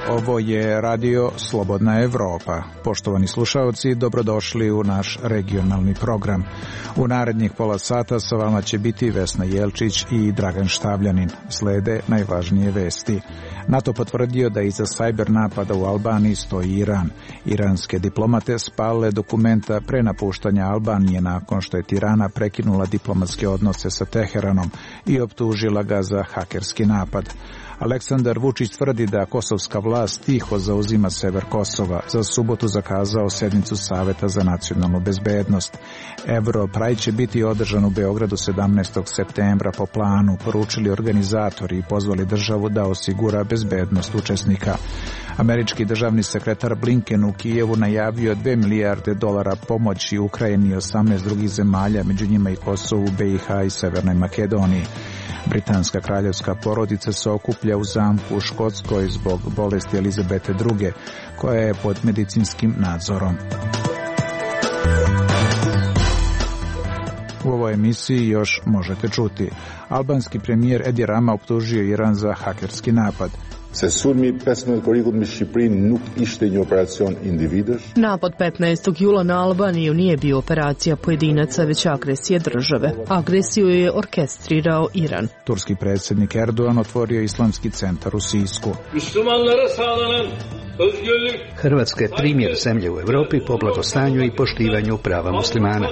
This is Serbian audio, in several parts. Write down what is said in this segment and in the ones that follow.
Ovo je radio Slobodna Evropa. Poštovani slušaoci, dobrodošli u naš regionalni program. U narednih pola sata sa vama će biti Vesna Jelčić i Dragan Štavljanin. Slede najvažnije vesti. NATO potvrdio da iza sajber napada u Albaniji stoji Iran. Iranske diplomate spalile dokumenta pre napuštanja Albanije nakon što je Tirana prekinula diplomatske odnose sa Teheranom i optužila ga za hakerski napad. Aleksandar Vučić tvrdi da kosovska vlast tiho zauzima sever Kosova. Za subotu zakazao sednicu Saveta za nacionalnu bezbednost. Europride će biti održan u Beogradu 17. septembra po planu, poručili organizatori i pozvali državu da osigura bezbednost učesnika. Američki državni sekretar Blinken u Kijevu najavio $2 milijarde pomoći Ukrajini i 18 drugih zemalja, među njima i Kosovu, BiH i Severnoj Makedoniji. Britanska kraljevska porodica se okuplja u zamku u Škotskoj zbog bolesti Elizabete II, koja je pod medicinskim nadzorom. U ovoj emisiji još možete čuti. Albanski premijer Edi Rama optužio Iran za hakerski napad. Se sulmi 15 korikut me Shqipërinë nuk ishte një operacion individësh. Napad 15. jula na Albaniju nije bio operacija pojedinaca, već agresija države. Agresiju je orkestrirao Iran. Turski predsjednik Erdogan otvorio islamski centar u Sisku. Hrvatska je primjer zemlje u Europi po blagostanju i poštivanju prava muslimana.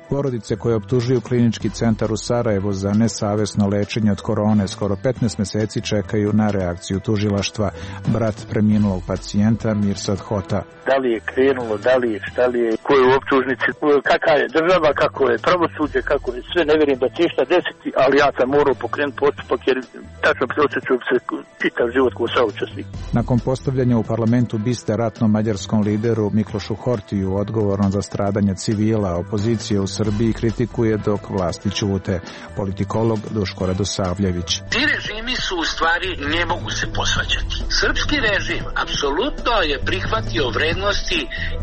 Porodice koje optužuju klinički centar u Sarajevu za nesavesno lečenje od korone skoro 15 mjeseci čekaju na reakciju tužilaštva. Brat preminulog pacijenta Mirsad Hota. Da li je krenulo, da li je, šta li je, ko je u optužnici, kakva je država, kako je pravosuđe, kako je sve, ne vjerujem da će išta desiti, ali ja sam morao pokrenuti postupak jer tačno osjećam se čitav život kao saučesnik. Nakon postavljanja u parlamentu biste ratnom mađarskom lideru Miklošu Hortiju odgovorno za stradanje civila, opozicije u Srbiji kritikuje dok vlasti ćute. Politikolog Duško Radosavljević. Ti režimi su u stvari ne mogu se posvađati. Srpski režim apsolutno je prihvatio vrednosti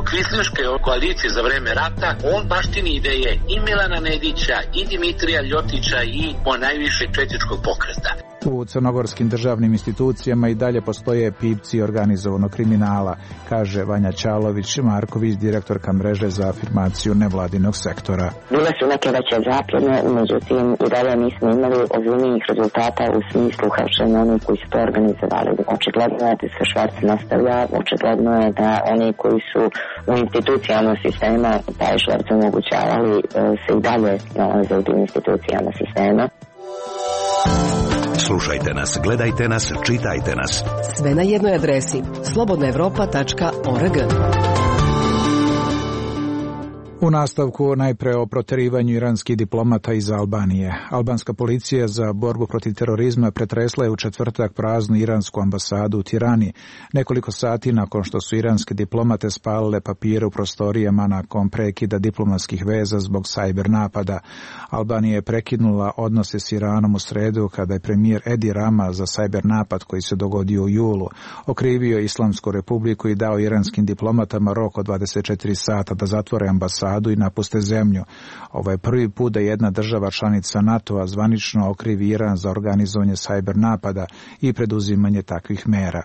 kvislinške koalicije za vreme rata. On baštini ideje i Milana Nedića i Dimitrija Ljotića i ponajviše četničkog pokreta. U crnogorskim državnim institucijama i dalje postoje pipci organizovanog kriminala, kaže Vanja Ćalović Marković, direktorka mreže za afirmaciju nevladinog sektora. Bile su neke veće zapljene, međutim i dalje nismo imali ozbiljnijih rezultata u smislu hapšenja onih koji su to organizovali. Očigledno je da se šverc nastavlja, očigledno je da oni koji su u institucijama sistema taj šverc omogućavali se i dalje nalaze u tim institucijama sistema. Slušajte nas, gledajte nas, čitajte nas. Sve na jednoj adresi slobodnaevropa.org. U nastavku najpre o proterivanju iranskih diplomata iz Albanije. Albanska policija za borbu protiv terorizma pretresla je u četvrtak praznu iransku ambasadu u Tirani, nekoliko sati nakon što su iranske diplomate spalile papire u prostorijama nakon prekida diplomatskih veza zbog sajber napada. Albanija je prekinula odnose s Iranom u sredu kada je premijer Edi Rama za sajber napad koji se dogodio u julu okrivio Islamsku republiku i dao iranskim diplomatama rok od 24 sata da zatvore ambasadu i napuste zemlju. Ovo je prvi put da jedna država članica NATO-a zvanično okrivi Iran za organizovanje sajber napada i preduzimanje takvih mera.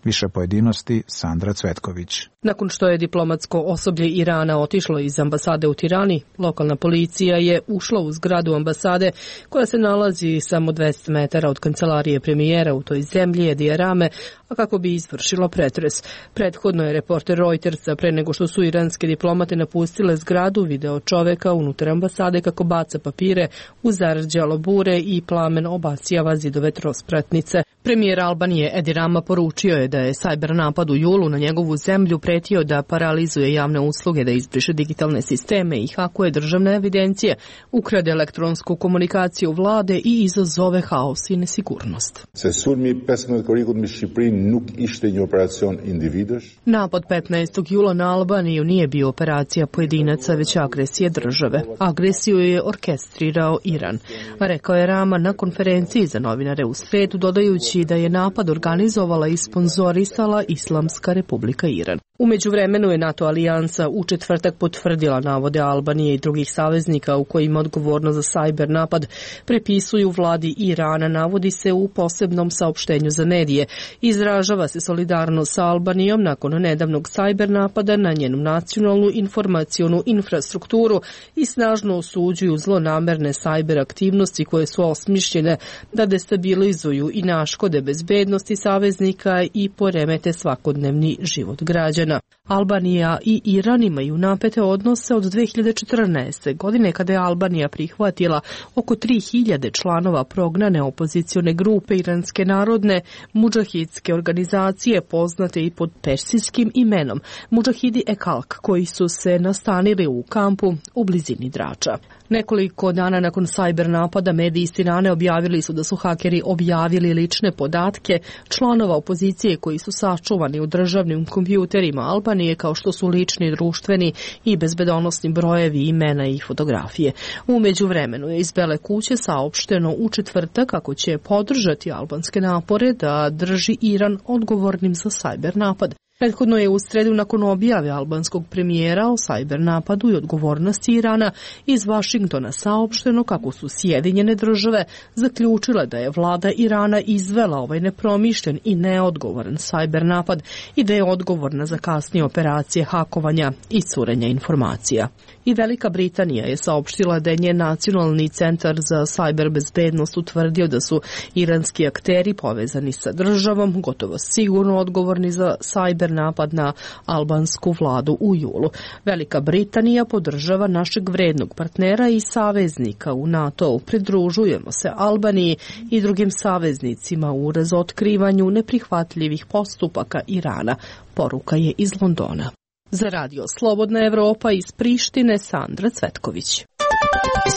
Više pojedinosti Sandra Cvetković. Nakon što je diplomatsko osoblje Irana otišlo iz ambasade u Tirani, lokalna policija je ušla u zgradu ambasade koja se nalazi samo 200 metara od kancelarije premijera u toj zemlji Edija Rame, a kako bi izvršila pretres. Prethodno je reporter Reutersa pre nego što su iranske diplomate napustile zgradu video čoveka unutar ambasade kako baca papire u zarđalo bure i plamen obasjava zidove trospratnice. Premijer Albanije Edi Rama poručio je da je sajber napad u julu na njegovu zemlju pretio da paralizuje javne usluge, da izbriše digitalne sisteme i hakuje državne evidencije, ukrade elektronsku komunikaciju vlade i izazove haos i nesigurnost. Se sulmi 15 korikut me Shqipërinë nuk ishte një operacion individush. Napad 15. jula na Albaniju nije bio operacija pojedinaca, već agresija države. Agresiju je orkestrirao Iran, rekao je Rama na konferenciji za novinare u sredu, dodajući da je napad organizovala i sponzorisala Islamska Republika Iran. U međuvremenu je NATO alijansa u četvrtak potvrdila navode Albanije i drugih saveznika u kojima odgovornost za sajber napad prepisuju vladi Irana, navodi se u posebnom saopštenju za medije. Izražava se solidarnost sa Albanijom nakon nedavnog sajber napada na njenu nacionalnu informacionu infrastrukturu i snažno osuđuju zlonamerne sajber aktivnosti koje su osmišljene da destabilizuju i naškode bezbednosti saveznika i poremete svakodnevni život građana. Albanija i Iran imaju napete odnose od 2014. godine kada je Albanija prihvatila oko 3000 članova prognane opozicione grupe Iranske narodne mudžahidske organizacije poznate i pod persijskim imenom Mudžahidi Ekalk, koji su se nastanili u kampu u blizini Drača. Nekoliko dana nakon sajber napada mediji iz Tirane objavili su da su hakeri objavili lične podatke članova opozicije koji su sačuvani u državnim kompjuterima Albanije, kao što su lični, društveni i bezbedonosni brojevi, imena i fotografije. U međuvremenu je iz Bele kuće saopšteno u četvrtak kako će podržati albanske napore da drži Iran odgovornim za sajber napad. Prethodno je u sredu nakon objave albanskog premijera o sajber napadu i odgovornosti Irana iz Vašingtona saopšteno kako su Sjedinjene države zaključile da je vlada Irana izvela ovaj nepromišljen i neodgovoran sajber napad i da je odgovorna za kasnije operacije hakovanja i curenja informacija. I Velika Britanija je saopštila da je njen nacionalni centar za sajber bezbednost utvrdio da su iranski akteri povezani sa državom gotovo sigurno odgovorni za sajber napad na albansku vladu u julu. Velika Britanija podržava našeg vrednog partnera i saveznika u NATO-u. Pridružujemo se Albaniji i drugim saveznicima u razotkrivanju neprihvatljivih postupaka Irana, poruka je iz Londona. Za radio Slobodna Evropa iz Prištine, Sandra Cvetković.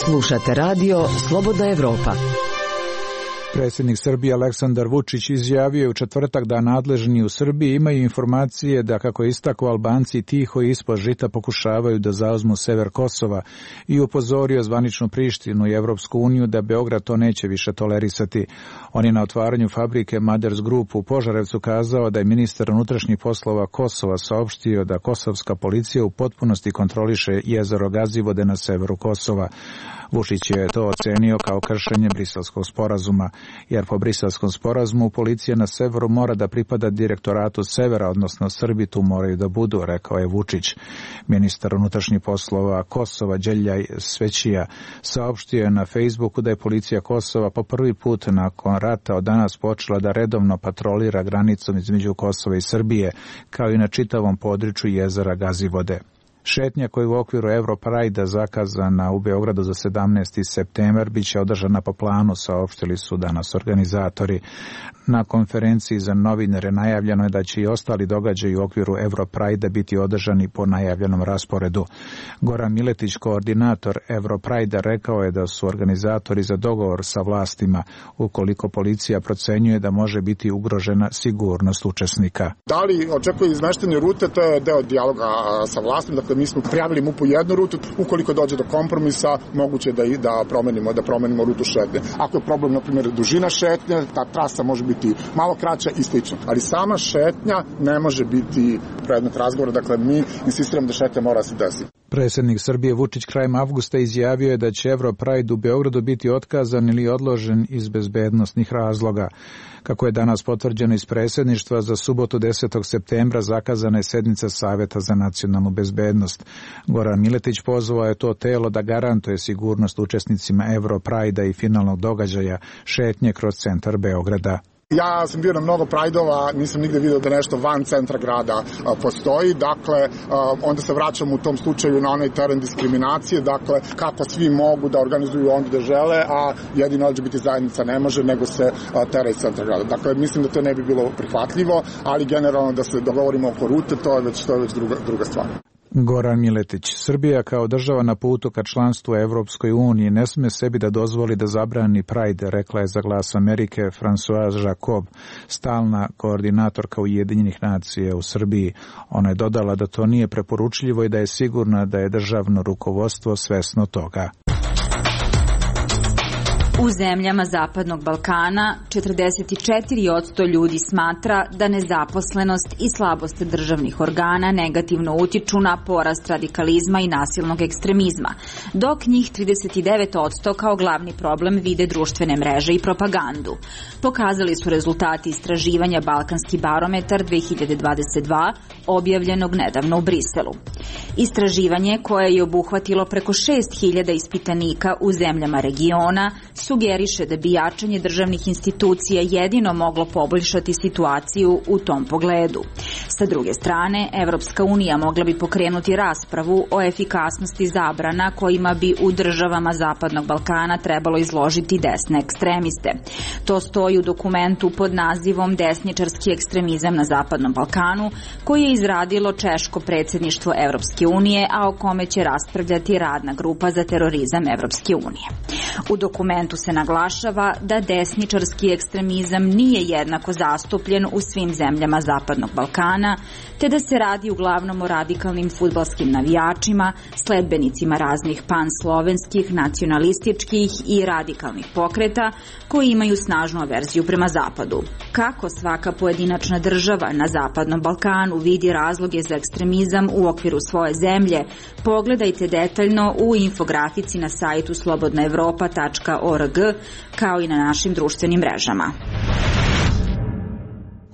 Slušate radio Slobodna Evropa. Predsjednik Srbije Aleksandar Vučić izjavio u četvrtak da nadležni u Srbiji imaju informacije da, kako je istakao, Albanci tiho i ispod žita pokušavaju da zauzmu sever Kosova i upozorio zvaničnu Prištinu i Evropsku uniju da Beograd to neće više tolerisati. On je na otvaranju fabrike Maders Group u Požarevcu kazao da je ministar unutrašnjih poslova Kosova saopštio da kosovska policija u potpunosti kontroliše jezero Gazivode na severu Kosova. Vučić je to ocenio kao kršenje Briselskog sporazuma, jer po Briselskom sporazumu policija na severu mora da pripada direktoratu severa, odnosno Srbi tu moraju da budu, rekao je Vučić. Ministar unutrašnjih poslova Kosova Đeljaj Svećija saopštio je na Facebooku da je policija Kosova po prvi put nakon rata od danas počela da redovno patrolira granicom između Kosova i Srbije, kao i na čitavom području jezera Gazivode. Šetnja koja je u okviru Europride zakazana u Beogradu za 17. septembar biće održana po planu, saopštili su danas organizatori. Na konferenciji za novinare najavljeno je da će i ostali događaji u okviru Europride biti održani po najavljenom rasporedu. Goran Miletić, koordinator Europride, rekao je da su organizatori za dogovor sa vlastima ukoliko policija procenjuje da može biti ugrožena sigurnost učesnika. Da li očekuju izmeštene rute, to je deo dijaloga sa vlastima. Dakle, mi smo prijavili MUP-u jednu rutu, ukoliko dođe do kompromisa, moguće da promenimo rutu šetnje. Ako je problem, na primjer, dužina šetnje, ta trasa može biti malo kraća i slično. Ali sama šetnja ne može biti predmet razgovora, dakle mi insistiramo da šetnja mora se desiti. Predsjednik Srbije Vučić krajem avgusta izjavio je da će Europride u Beogradu biti otkazan ili odložen iz bezbednosnih razloga. Kako je danas potvrđeno iz predsjedništva, za subotu 10. septembra zakazana je sednica Saveta za nacionalnu bezbednost. Goran Miletić pozvao je to telo da garantuje sigurnost učesnicima Europride i finalnog događaja šetnje kroz centar Beograda. Ja sam bio na mnogo prajdova, nisam nigde vidio da nešto van centra grada postoji, dakle onda se vraćam u tom slučaju na onaj teren diskriminacije, dakle kako svi mogu da organizuju onda da žele, a jedino LGBT zajednica ne može, nego se tera iz centra grada. Dakle, mislim da to ne bi bilo prihvatljivo, ali generalno da se dogovorimo oko rute, to je već druga stvar. Goran Miletić. Srbija kao država na putu ka članstvu Evropskoj uniji ne sme sebi da dozvoli da zabrani Pride, rekla je za Glas Amerike Françoise Jacob, stalna koordinatorka Ujedinjenih nacija u Srbiji. Ona je dodala da to nije preporučljivo i da je sigurna da je državno rukovodstvo svesno toga. U zemljama Zapadnog Balkana 44% ljudi smatra da nezaposlenost i slabost državnih organa negativno utiču na porast radikalizma i nasilnog ekstremizma, dok njih 39% kao glavni problem vide društvene mreže i propagandu. Pokazali su rezultati istraživanja Balkanski barometar 2022, objavljenog nedavno u Briselu. Istraživanje, koje je obuhvatilo preko 6.000 ispitanika u zemljama regiona, sugeriše da bi jačanje državnih institucija jedino moglo poboljšati situaciju u tom pogledu. Sa druge strane, Evropska unija mogla bi pokrenuti raspravu o efikasnosti zabrana kojima bi u državama Zapadnog Balkana trebalo izložiti desne ekstremiste. To stoji u dokumentu pod nazivom Desničarski ekstremizam na Zapadnom Balkanu, koji je izradilo češko predsjedništvo Evropske unije, a o kome će raspravljati radna grupa za terorizam Evropske unije. U dokumentu se naglašava da desničarski ekstremizam nije jednako zastupljen u svim zemljama Zapadnog Balkana, te da se radi uglavnom o radikalnim fudbalskim navijačima, sledbenicima raznih panslovenskih, nacionalističkih i radikalnih pokreta koji imaju snažnu averziju prema Zapadu. Kako svaka pojedinačna država na Zapadnom Balkanu vidi razloge za ekstremizam u okviru svoje zemlje, pogledajte detaljno u infografici na sajtu slobodnaevropa.org, kao i na našim društvenim mrežama.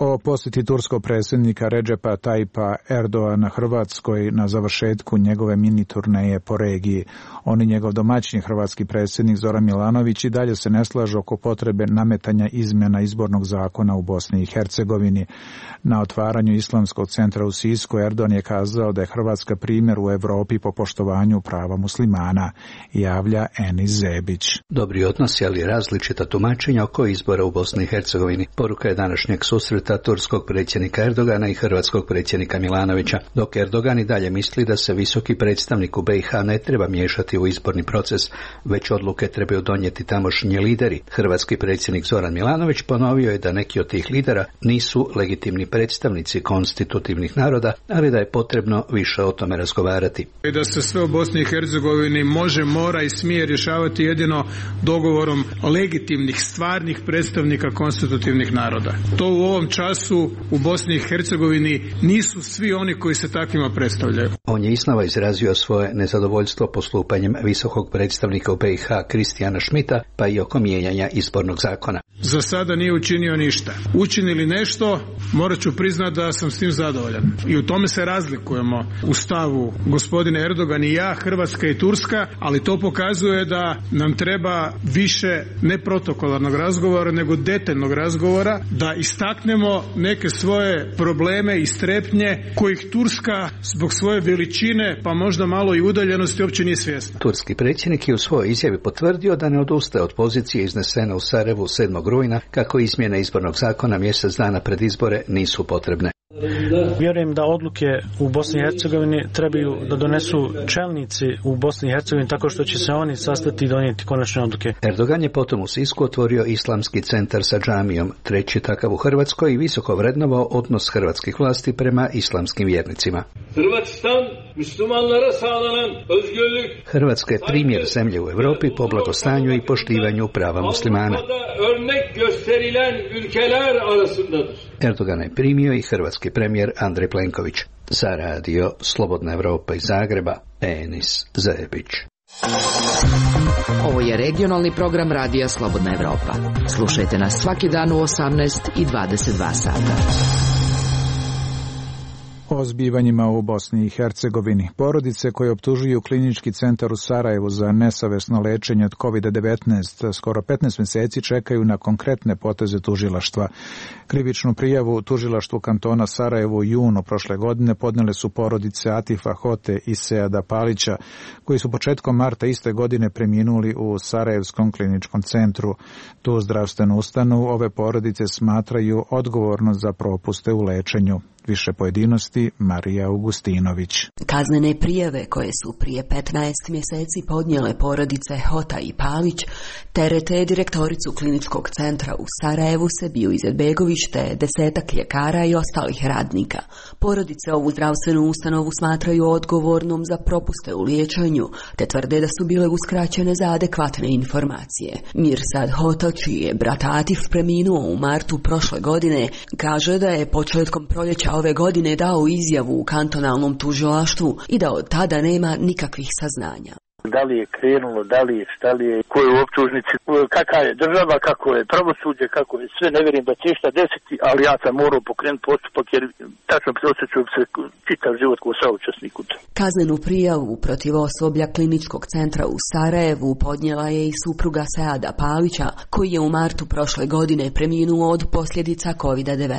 O posjeti turskog predsjednika Redžepa Tajpa Erdoana Hrvatskoj na završetku njegove mini turneje po regiji. On i njegov domaćin hrvatski predsjednik Zoran Milanović i dalje se ne slažu oko potrebe nametanja izmjena izbornog zakona u Bosni i Hercegovini. Na otvaranju Islamskog centra u Sisku Erdogan je kazao da je Hrvatska primjer u Europi po poštovanju prava muslimana, javlja Enis Zebić. Dobri odnosi, ali različita tumačenja oko izbora u Bosni i Hercegovini. Poruka je današnjeg susreta turskog predsjednika Erdogana i hrvatskog predsjednika Milanovića, dok Erdogan i dalje misli da se visoki predstavnik u BiH ne treba miješati u izborni proces, već odluke trebaju donijeti tamošnji lideri. Hrvatski predsjednik Zoran Milanović ponovio je da neki od tih lidera nisu legitimni predstavnici konstitutivnih naroda, ali da je potrebno više o tome razgovarati. I da se sve u Bosni i Hercegovini može, mora i smije rješavati jedino dogovorom legitimnih, stvarnih predstavnika konstitutivnih naroda. To u ovom času u Bosni i Hercegovini nisu svi oni koji se takvima predstavljaju. On je iznova izrazio svoje nezadovoljstvo postupanjem visokog predstavnika u BiH Kristijana Šmita, pa i oko mijenjanja izbornog zakona. Za sada nije učinio ništa. Učinili nešto, morat ću priznati da sam s tim zadovoljan. I u tome se razlikujemo u stavu gospodine Erdogan i ja, Hrvatska i Turska, ali to pokazuje da nam treba više ne protokolarnog razgovora, nego detaljnog razgovora, da istaknemo neke svoje probleme i strepnje kojih Turska zbog svoje veličine, pa možda malo i udaljenosti, uopće nije svjesna. Turski predsjednik je u svojoj izjavi potvrdio da ne odustaje od pozicije iznesene u Sarajevu 7. rujna, kako izmjene izbornog zakona mjesec dana pred izbore nisu potrebne. Vjerujem da odluke u Bosni i Hercegovini trebaju da donesu čelnici u Bosni i Hercegovini, tako što će se oni sastati i donijeti konačne odluke. Erdogan je potom u Sisku otvorio Islamski centar sa džamijom, treći takav u Hrvatskoj, i visoko vrednovao odnos hrvatskih vlasti prema islamskim vjernicima. Hrvatska je primjer zemlje u Europi po blagostanju i poštivanju prava muslimana. Erdogana je primio i hrvatski premijer Andrej Plenković. Za radio Slobodna Evropa iz Zagreba, Enis Zebić. Ovo je regionalni program radija Slobodna Evropa. Slušajte nas svaki dan u 18 i 22 sata. O zbivanjima u Bosni i Hercegovini. Porodice koje optužuju klinički centar u Sarajevu za nesavesno lečenje od COVID-19 skoro 15 mjeseci čekaju na konkretne poteze tužilaštva. Krivičnu prijavu tužilaštvu kantona Sarajevo u junu prošle godine podnele su porodice Atifa Hote i Seada Palića, koji su početkom marta iste godine preminuli u Sarajevskom kliničkom centru. Tu zdravstvenu ustanovu ove porodice smatraju odgovorno za propuste u lečenju. Više pojedinosti Marija Augustinović. Kaznene prijave koje su prije 15 mjeseci podnijele porodice Hota i Palić terete direktoricu kliničkog centra u Sarajevu Sebiju Izetbegović te 10 ljekara i ostalih radnika. Porodice ovu zdravstvenu ustanovu smatraju odgovornom za propuste u liječenju te tvrde da su bile uskraćene za adekvatne informacije. Mirsad Hota, čiji je brat Atif preminuo u martu prošle godine, kaže da je početkom proljeća ove godine dao izjavu u kantonalnom tužilaštvu i da od tada nema nikakvih saznanja. Da li je krenulo, da li je, šta li je, ko je u optužnici, kakva je država, kako je pravosuđe, kako je sve, ne vjerujem da će šta desiti, ali ja sam morao pokrenuti postupak jer tačno osjećam se čitav život kao saučesnik u to. Kaznenu prijavu protiv osoblja kliničkog centra u Sarajevu podnijela je i supruga Seada Palića, koji je u martu prošle godine preminuo od posljedica COVID-19.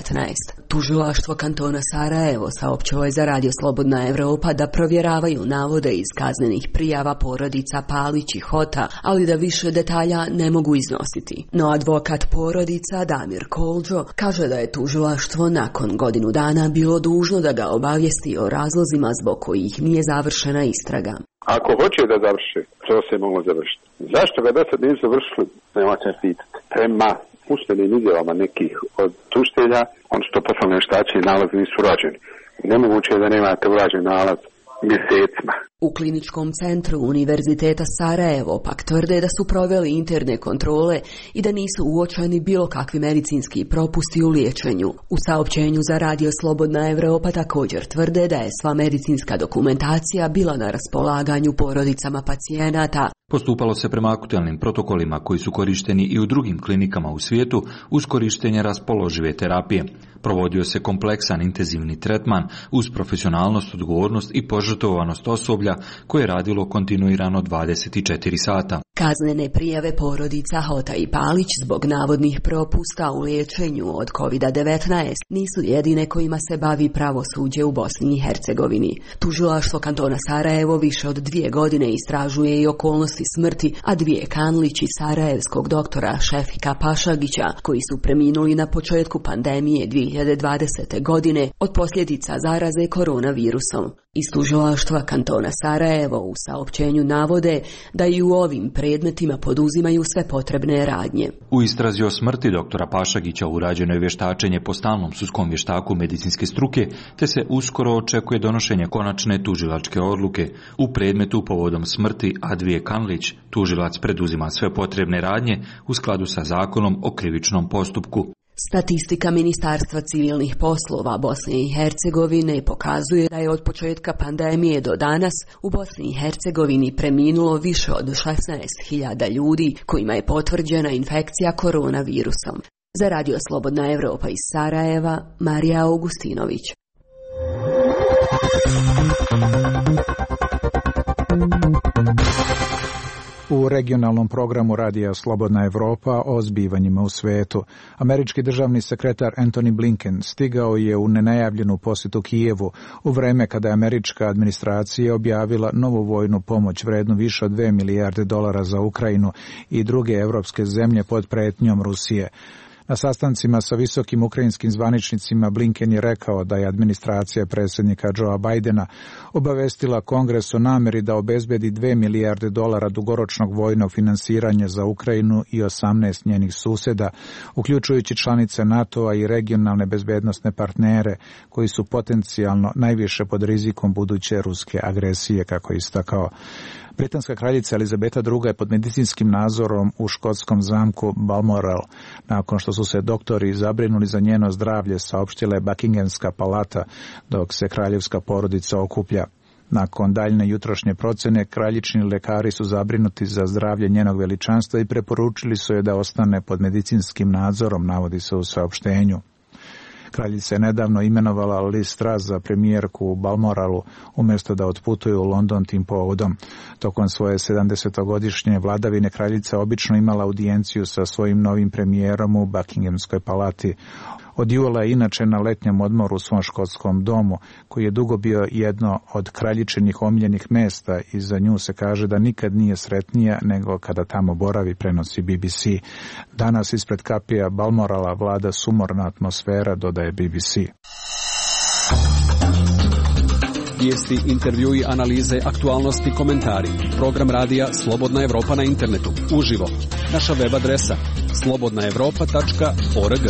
Tužilaštvo kantona Sarajevo saopćilo je za Radio Slobodna Evropa da provjeravaju navode iz kaznenih prijava porodica Palić i Hota, ali da više detalja ne mogu iznositi. No advokat porodica Damir Kolđo kaže da je tužilaštvo nakon godinu dana bilo dužno da ga obavijesti o razlozima zbog kojih nije završena istraga. Ako hoće da završi, to se moglo završiti. Zašto ga do sad nisu završili? Nema se pitati. Prema usmenim izjavama nekih od tužitelja, on što poslovne vještači i nalazi nisu urađeni. Nemoguće je da nemate urađen nalaz mjesecima. U kliničkom centru Univerziteta Sarajevo pak tvrde da su proveli interne kontrole i da nisu uočeni bilo kakvi medicinski propusti u liječenju. U saopćenju za Radio Slobodna Evropa također tvrde da je sva medicinska dokumentacija bila na raspolaganju porodicama pacijenata. Postupalo se prema aktualnim protokolima koji su korišteni i u drugim klinikama u svijetu uz korištenje raspoložive terapije. Provodio se kompleksan intenzivni tretman uz profesionalnost, odgovornost i požrtvovanost osoblja koje je radilo kontinuirano 24 sata. Kaznene prijave porodica Hota i Palić zbog navodnih propusta u liječenju od COVID-19 nisu jedine kojima se bavi pravosuđe u Bosni i Hercegovini. Tužilaštvo kantona Sarajevo više od 2 godine istražuje i okolnosti smrti Advije Kanlić i sarajevskog doktora Šefika Pašagića, koji su preminuli na početku pandemije 2020. godine od posljedica zaraze koronavirusom. Iz tužilaštva kantona Sarajevo u saopćenju navode da i u ovim predmetima poduzimaju sve potrebne radnje. U istrazi o smrti doktora Pašagića urađeno je vještačenje po stalnom sudskom vještaku medicinske struke, te se uskoro očekuje donošenje konačne tužilačke odluke. U predmetu povodom smrti Advije Kanlić tužilac preduzima sve potrebne radnje u skladu sa zakonom o krivičnom postupku. Statistika Ministarstva civilnih poslova Bosne i Hercegovine pokazuje da je od početka pandemije do danas u Bosni i Hercegovini preminulo više od 16.000 ljudi kojima je potvrđena infekcija koronavirusom. Za Radio Slobodna Evropa iz Sarajeva, Marija Augustinović. U regionalnom programu Radija Slobodna Evropa o zbivanjima u svetu. Američki državni sekretar Antony Blinken stigao je u nenajavljenu posjetu Kijevu u vreme kada je američka administracija objavila novu vojnu pomoć vrednu više od $2 milijarde za Ukrajinu i druge evropske zemlje pod pretnjom Rusije. Na sastancima sa visokim ukrajinskim zvaničnicima Blinken je rekao da je administracija predsjednika Joea Bidena obavestila Kongres o namjeri da obezbedi $2 milijarde dugoročnog vojnog finansiranja za Ukrajinu i 18 njenih susjeda, uključujući članice NATO-a i regionalne bezbednosne partnere koji su potencijalno najviše pod rizikom buduće ruske agresije, kako je istakao. Britanska kraljica Elizabeta II je pod medicinskim nadzorom u škotskom zamku Balmoral, nakon što su se doktori zabrinuli za njeno zdravlje, saopštila je Buckinghamska palata, dok se kraljevska porodica okuplja. Nakon daljne jutrošnje procjene, kraljični lekari su zabrinuti za zdravlje njenog veličanstva i preporučili su je da ostane pod medicinskim nadzorom, navodi se u saopštenju. Kraljica je nedavno imenovala Liz Truss za premijerku u Balmoralu umjesto da otputuje u London tim povodom. Tokom svoje 70-godišnje vladavine kraljica obično imala audijenciju sa svojim novim premijerom u Buckinghamskoj palati. Od jula je inače na letnjem odmoru u svom škotskom domu, koji je dugo bio jedno od kraljičinih omiljenih mjesta i za nju se kaže da nikad nije sretnija nego kada tamo boravi, prenosi BBC. Danas ispred kapija Balmorala vlada sumorna atmosfera, dodaje BBC. Vijesti, intervjui, analize, aktualnosti, komentari. Program radija Slobodna Evropa na internetu. Uživo. Naša web adresa slobodnaevropa.org.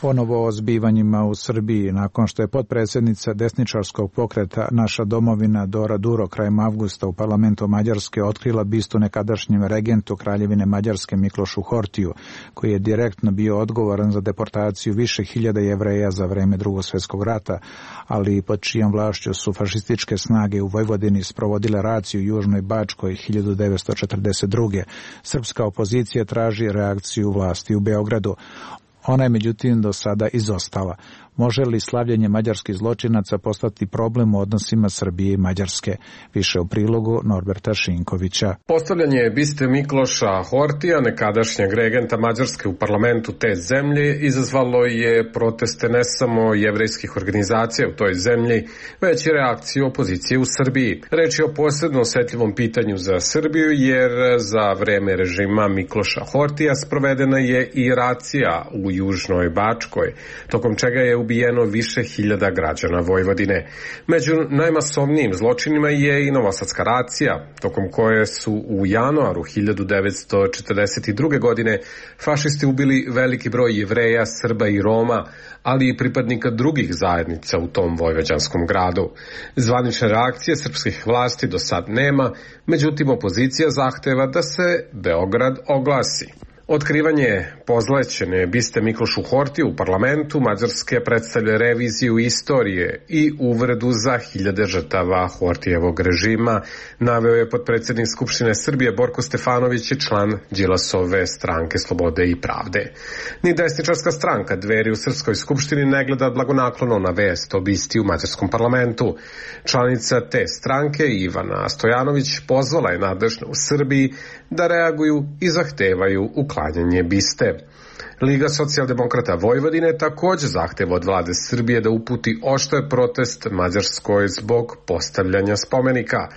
Ponovo o zbivanjima u Srbiji. Nakon što je potpredsjednica desničarskog pokreta Naša domovina Dora Duro krajem avgusta u parlamentu Mađarske otkrila bistu nekadašnjem regentu Kraljevine Mađarske Miklošu Hortiju, koji je direktno bio odgovoran za deportaciju više hiljada Jevreja za vreme Drugog svjetskog rata, ali i pod čijom vlašću su fašističke snage u Vojvodini sprovodile raciju u Južnoj Bačkoj 1942. Srpska opozicija traži reakciju vlasti u Beogradu. Ona je međutim do sada izostala. Može li slavljenje mađarskih zločinaca postati problem u odnosima Srbije i Mađarske? Više u prilogu Norberta Šinkovića. Postavljanje biste Mikloša Hortija, nekadašnjeg regenta Mađarske u parlamentu te zemlje, izazvalo je proteste ne samo jevrejskih organizacija u toj zemlji, već i reakciju opozicije u Srbiji. Reč je o posebno osetljivom pitanju za Srbiju, jer za vreme režima Mikloša Hortija sprovedena je i racija u Južnoj Bačkoj, tokom čega je ubijeno više hiljada građana Vojvodine. Među najmasovnijim zločinima je i novosadska racija, tokom koje su u januaru 1942. godine fašisti ubili veliki broj Jevreja, Srba i Roma, ali i pripadnika drugih zajednica u tom vojvođanskom gradu. Zvanične reakcije srpskih vlasti do sad nema, međutim opozicija zahteva da se Beograd oglasi. Otkrivanje pozlećene biste Miklošu Hortiju u parlamentu Mađarske predstavlja reviziju istorije i uvredu za hiljade žrtava Hortijevog režima, naveo je potpredsjednik Skupštine Srbije Borko Stefanović i član Đilasove stranke Slobode i pravde. Ni desničarska stranka Dveri u Srpskoj skupštini ne gleda blagonaklono na vest o bisti u mađarskom parlamentu. Članica te stranke Ivana Stojanović pozvala je nadležne u Srbiji da reaguju i zahtevaju uklanjanje biste. Liga socijaldemokrata Vojvodine također zahteva od vlade Srbije da uputi oštar protest Mađarskoj zbog postavljanja spomenika.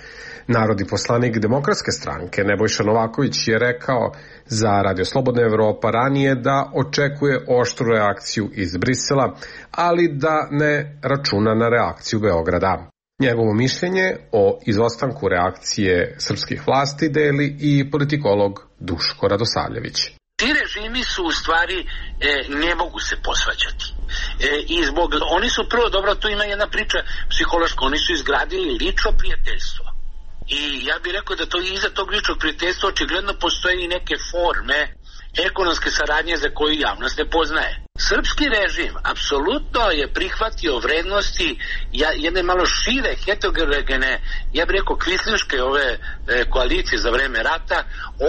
Narodni poslanik Demokratske stranke Nebojša Novaković je rekao za Radio Slobodna Evropa ranije da očekuje oštru reakciju iz Brisela, ali da ne računa na reakciju Beograda. Njegovo mišljenje o izostanku reakcije srpskih vlasti deli i politikolog Duško Radosavljević. Ti režimi su u stvari ne mogu se posvađati. I zbog, oni su prvo, dobro, tu ima jedna priča psihološka, oni su izgradili lično prijateljstvo. I ja bih rekao da to iza tog ličnog prijateljstva očigledno postoje i neke forme ekonomske saradnje za koju javnost ne poznaje. Srpski režim apsolutno je prihvatio vrednosti jedne malo šire, heterogene, ja bih rekao kvislinške ove koalicije za vreme rata.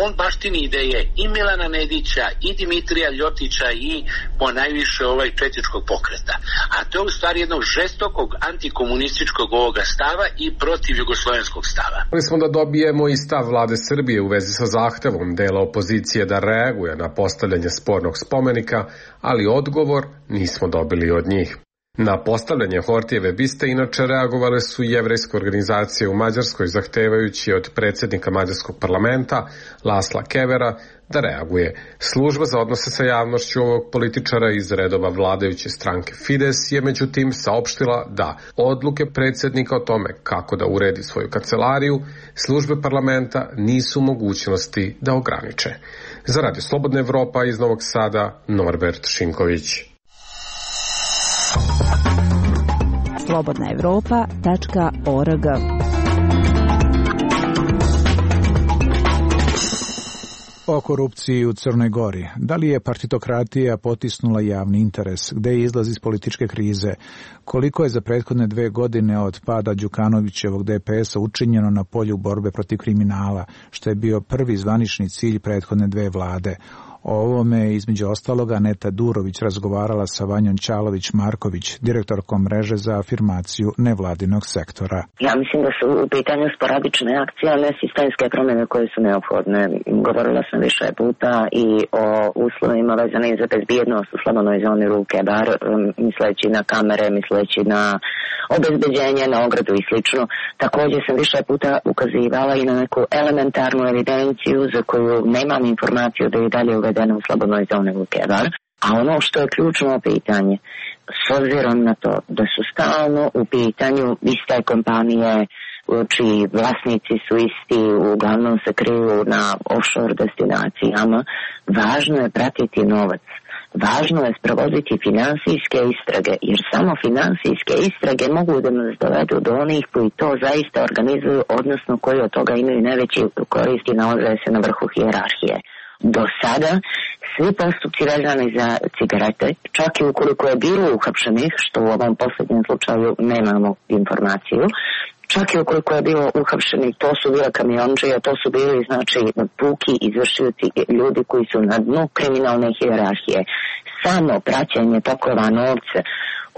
On baštini ideje i Milana Nedića i Dimitrija Ljotića i ponajviše četničkog pokreta. A to je u stvari jednog žestokog antikomunističkog ovoga stava i protiv jugoslovenskog stava. Mogli smo da dobijemo i stav vlade Srbije u vezi sa zahtevom dela opozicije da reaguje na postavljanje spornog spomenika, ali odgovor nismo dobili od njih. Na postavljanje Hortijeve biste inače reagovale su jevrejske organizacije u Mađarskoj, zahtevajući od predsjednika Mađarskog parlamenta Lasla Kevera da reaguje. Služba za odnose sa javnošću ovog političara iz redova vladajuće stranke Fides je međutim saopštila da odluke predsjednika o tome kako da uredi svoju kancelariju službe parlamenta nisu u mogućnosti da ograniče. Za Radio Slobodna Evropa iz Novog Sada, Norbert Šinković. slobodnaevropa.org. O korupciji u Crnoj Gori. Da li je partitokratija potisnula javni interes? Gde je izlaz iz političke krize? Koliko je za prethodne 2 godine od pada Đukanovićevog DPS-a učinjeno na polju borbe protiv kriminala, što je bio prvi zvanični cilj prethodne 2 vlade? O ovome između ostaloga Aneta Durović razgovarala sa Vanjom Ćalović-Marković, direktorkom mreže za afirmaciju nevladinog sektora. Ja mislim da su u pitanju sporadične akcije, a ne sistemske promjene koje su neophodne. Govorila sam više puta i o uslovima vezanim za bezbjednost u slobodnoj zoni Ruke Bar, misleći na kamere, misleći na obezbeđenje, na ogradu i slično. Također sam više puta ukazivala i na neku elementarnu evidenciju za koju nemam informaciju da je dalje uvedena u slobodnoj zoni Luke Bar. A ono što je ključno pitanje, s obzirom na to da su stalno u pitanju iste kompanije čiji vlasnici su isti, uglavnom se kriju na offshore destinacijama, važno je pratiti novac. Važno je sprovoditi finansijske istrage, jer samo finansijske istrage mogu da nas dovedu do onih koji to zaista organizuju, odnosno koji od toga imaju najveći koristi i nalaze se na vrhu hijerarhije. Do sada svi postupci vezani za cigarete, čak i ukoliko je bilo uhapšenih, što u ovom posljednjem slučaju nemamo informaciju, čak i ukoliko je bilo uhapšenih, to su bile kamionđije, to su bili znači puki izvršioci, ljudi koji su na dnu kriminalne hijerarhije. Samo praćenje tokova novca,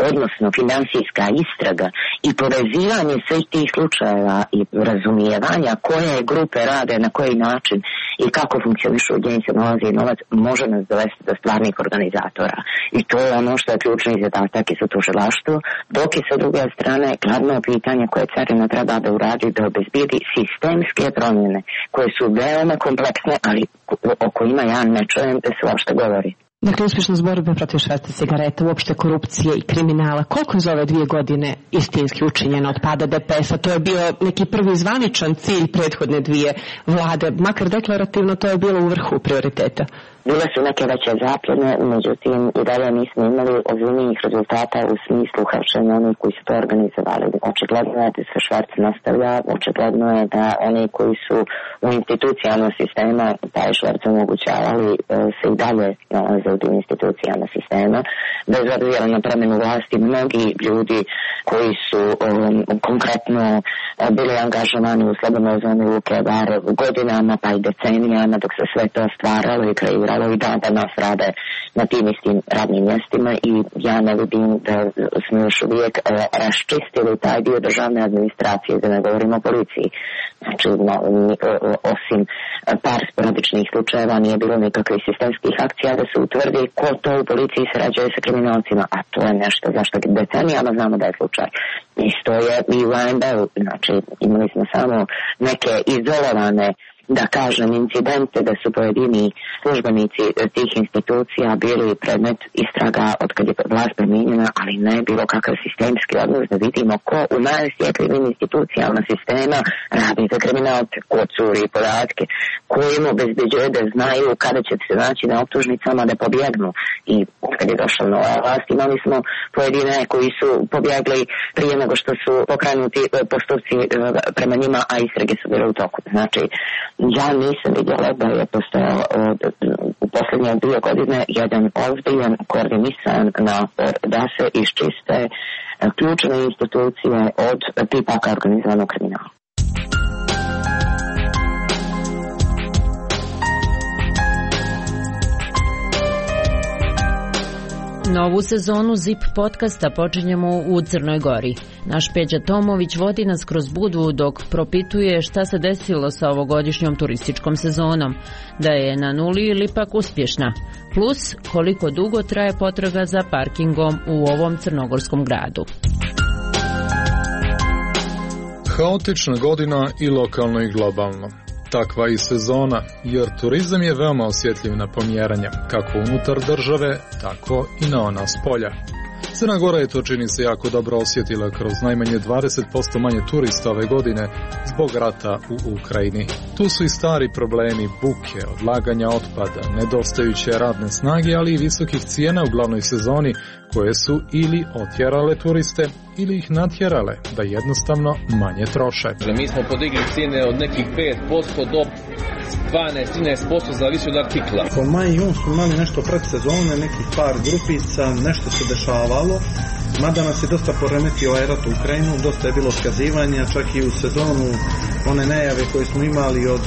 odnosno finansijska istraga i povezivanje svih tih slučajeva i razumijevanja koje grupe rade, na koji način i kako funkcionišu gdje im se nalazi novac, može nas dovesti do stvarnih organizatora. I to je ono što je ključni zadatak i za tužilaštvo, dok je sa druge strane glavno pitanje koje carina treba da uradi da obezbijedi sistemske promjene koje su veoma kompleksne, ali o kojima ja ne čujem da se uopšte govori. Dakle, uspješnost borbe protiv šverca cigareta, uopšte korupcije i kriminala. Koliko je za ove 2 godine istinski učinjeno od pada DPS-a? To je bio neki prvi zvaničan cilj prethodne 2 vlade. Makar deklarativno to je bilo u vrhu prioriteta. Bile su neke veće zapljene, međutim i dalje nismo imali ozbiljnijih rezultata u smislu hapšenja onih koji su to organizovali. Očigledno je da se šverc nastavlja, očigledno je da oni koji su u institucijama sistema taj šverc omogućavali se i dalje nalaze u tim institucijama sistema. Bez obzira na promjenu vlasti, mnogi ljudi koji su konkretno bili angažovani u slobodnoj zoni Luke Bar godinama pa i decenijama dok se sve to stvaralo i kreiralo i danas rade na tim istim radnim mjestima i ja ne vidim da smo još uvijek raščistili taj dio državne administracije, da ne govorimo o policiji. Znači, osim par sporadičnih slučajeva nije bilo nikakvih sistemskih akcija da se utvrdi ko to u policiji sarađuje sa kriminalcima, a to je nešto zašto decenijama znamo da je slučaj. Isto je i u ANB-u, znači imali smo samo neke izolovane, da kažem, incidente da su pojedini službenici tih institucija bili predmet istraga od kad je vlast promijenjena, ali ne bilo kakav sistemski odnos da vidimo ko u najosjetljivim institucijama sistema radi za kriminalce, ko curi podatke, ko im obezbeđuje da znaju kada će se naći na optužnicama da pobjegnu. I kad je došla nova vlast imali smo pojedine koji su pobjegli prije nego što su pokrenuti postupci prema njima, a istrage su bile u toku. Znači, ja nisam vidjela da je postojao u posljednje 2 godine jedan ozbiljan koordinisan napor da se iščiste ključne institucije od tipaka organizovanog kriminala. Novu sezonu ZIP podcasta počinjemo u Crnoj Gori. Naš Peđa Tomović vodi nas kroz Budvu dok propituje šta se desilo sa ovogodišnjom turističkom sezonom, da je na nuli ili pak uspješna, plus koliko dugo traje potraga za parkingom u ovom crnogorskom gradu. Haotična godina i lokalno i globalno. Takva i sezona, jer turizam je veoma osjetljiv na pomjeranja, kako unutar države, tako i na ona spolja. Crna Gora je to, čini se, jako dobro osjetila kroz najmanje 20% manje turista ove godine zbog rata u Ukrajini. Tu su i stari problemi buke, odlaganja otpada, nedostajuće radne snage, ali i visokih cijena u glavnoj sezoni koje su ili otjerale turiste ili ih natjerale da jednostavno manje troše. Mi smo podigli cijene od nekih 5% do 12-13% zavisi od artikla. Po maj i jun su imali nešto predsezone, nekih par grupica, nešto se dešavalo, mada nas je dosta poremetio ovaj rat u Ukrajinu, dosta je bilo otkazivanja, čak i u sezonu one najave koje smo imali od,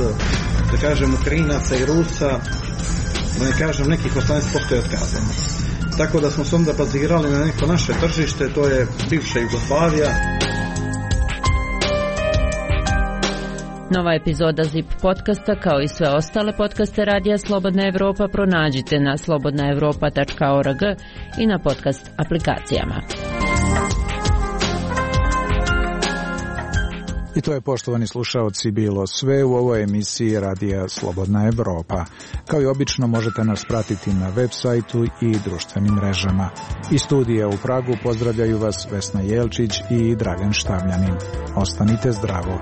da kažem, Ukrajinaca i Rusa, da ne kažem, nekih 18% je otkazano. Tako da smo se onda bazirali na neko naše tržište, to je bivša Jugoslavija. Nova epizoda ZIP podcasta, kao i sve ostale podcaste Radija Slobodna Evropa, pronađite na slobodnaevropa.org i na podcast aplikacijama. I to je, poštovani slušaoci, bilo sve u ovoj emisiji Radija Slobodna Evropa. Kao i obično možete nas pratiti na web sajtu i društvenim mrežama. Iz studija u Pragu pozdravljaju vas Vesna Jelčić i Dragan Štavljanin. Ostanite zdravo.